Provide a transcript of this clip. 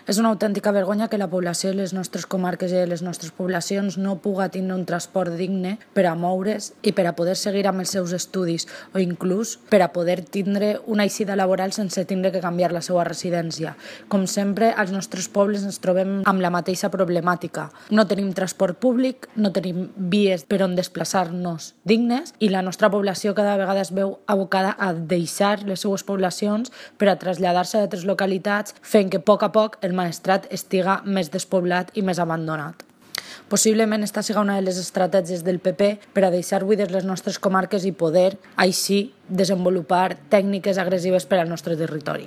És una autèntica vergonya que la població de les nostres comarques i de les nostres poblacions no puga tindre un transport digne per a moure's i per a poder seguir amb els seus estudis o inclús per a poder tindre una eixida laboral sense tindre que canviar la seva residència. Com sempre, als nostres pobles ens trobem amb la mateixa problemàtica. No tenim transport públic, no tenim vies per on desplaçar-nos dignes i la nostra població cada vegada es veu abocada a deixar les seues poblacions per a traslladar-se a altres localitats, fent que a poc el Maestrat estiga més despoblat i més abandonat. Possiblement esta siga una de les estratègies del PP per a deixar buides les nostres comarques i poder, així, desenvolupar tècniques agressives per al nostre territori.